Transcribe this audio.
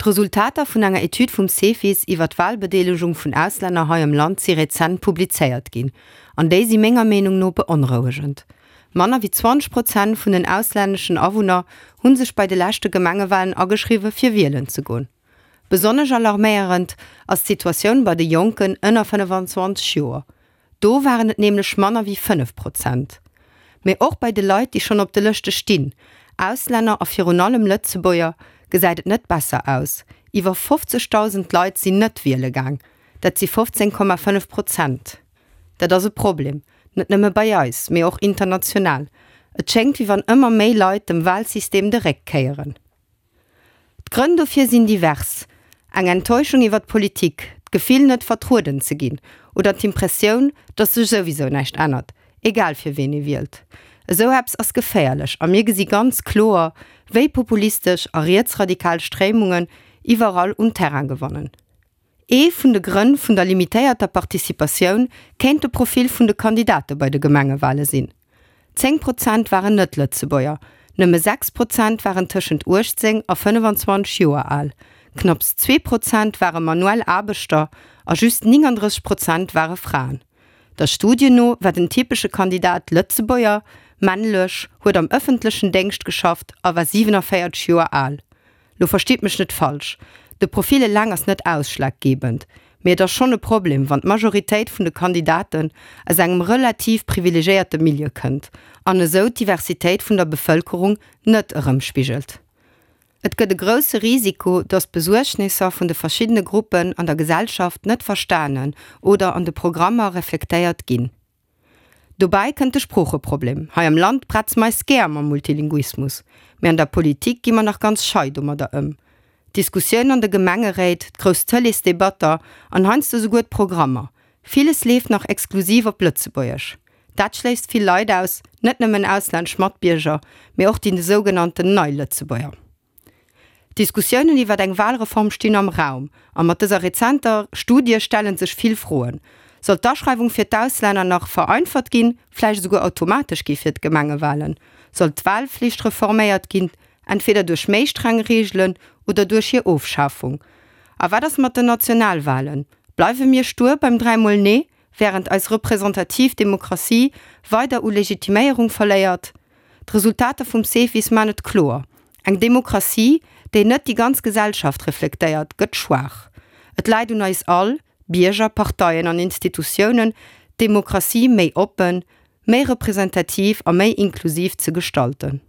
D'Resultater vun enger Etüd vum Cefis iwwer d'Walbedeelegung vun Auslänner hei am Land si rezent publizéiert ginn. An déi si menger Meenung no beonrouegend. Manner wéi 20 Prozent vun den auslänneschen Awunner hu sech bei de leschte Gemengewalen ageschriwwe fir wielen ze goen. Besonnesch alarméierend ass d'Situatioun bei de Jonken ënner 25 Joer. Do waren et nämlech manner wéi 5 Prozent. Mee och bei de Leit, déi schonn op de Lëschte stinn, Auslänner a virun allem Lëtzebuerger, gesäit et net besser aus. Iwwer 50.000 Leit sinn net wiele gaang, dat si 15,5 Prozent. Dat ass e Problem, net nëmme bei eis, mee och international. Et schéngt, wéi wann ëmmer méi Leit dem Walsystem de Réck kéieren. D'Grënn dofir sinn divers, eng Enttäuschung iwwer d'Politik, d'Gefill net vertrueden ze ginn oder d'Impressioun, datt sech souwisou näischt ännert, egal fir ween ee wielt. Esou eppes ass geféierlech a mir gesi ganz kloer, wéi populistesch a rietsradikal Stréimungen iwwerall un Terrain gewannen. Ee vun de Grënn vun der limitéierter Participatioun kéint de Profil vun de Kandidate bei de Gemengewale sinn. 10 Prozent waren Net-Lëtzebuerger, nëmme 6 Prozent waren tëschent 18 a 25 Joer al, knapps zwee Prozent ware manuell Aarbechter a just 39 Prozent ware Fraen. Der Studie no war den typesche Kandidat Lëtzebuerger, männlech, huet am ëffentlechen Déngscht geschafft a war 47 Joer al. Lo verstitt mech net falsch, de Profil eleng ass net ausschlaggebend, mee et ass schonn e Problem, wann d'Majoritéit vun de Kandidaten aus engem relativ privilegéierte Milieu kënnt an esou d'Diversitéit vun der Bevëlkerung net erëmspigelt. Et gëtt e grousse Risiko, datt d'Besuergnisser vun de verschiddene Gruppen an der Gesellschaft net verstanen oder an de Programmer reflektéiert ginn. Dobäi kënnt de Sproocheproblem. Hei am Land bretze mer eis gär mam Multilinguismus, mee an der Politik gi mer nach ganz schei domadder ëm. D'Diskussioun an de Gemengeréit, d'grouss Tëleesdebatter an heiansdo souguer d'Programmer, villes leeft nach exklusiv op Lëtzebuergesch. Dat schléisst vill Leit aus, net nëmmen auslännesch Matbierger, mee och déi sougenannten nei Lëtzebuerger. D'Diskussiounen iwwer eng Walreform stinn am Raum a mat dëser rezenter Studie stelle sech vill Froen. Soll d'Aschreiwung fir d'Auslänner nach vereinfert ginn, vläicht esouguer automatesch gi fir d'Gemengewalen? Soll d'Walflicht reforméiert ginn, entweder duerch méi streng Reegelen oder duerch hir Ofschafung? A wat ass mat den Nationalwalen? Bleiwe mir stur beim dräimol Nee, wärend eis representativ Demokratie weider u Legitiméierung verléiert? D'Resultater vum Cefis man et kloer, Eng Demokratie, déi net déi ganz Gesellschaft reflektéiert, gëtt schwaach. Et läit un eis all, Bierger, Parteien an Institutiounen, d'Demokratie méi oppen, méi representativ a méi inklusiv ze gestalten.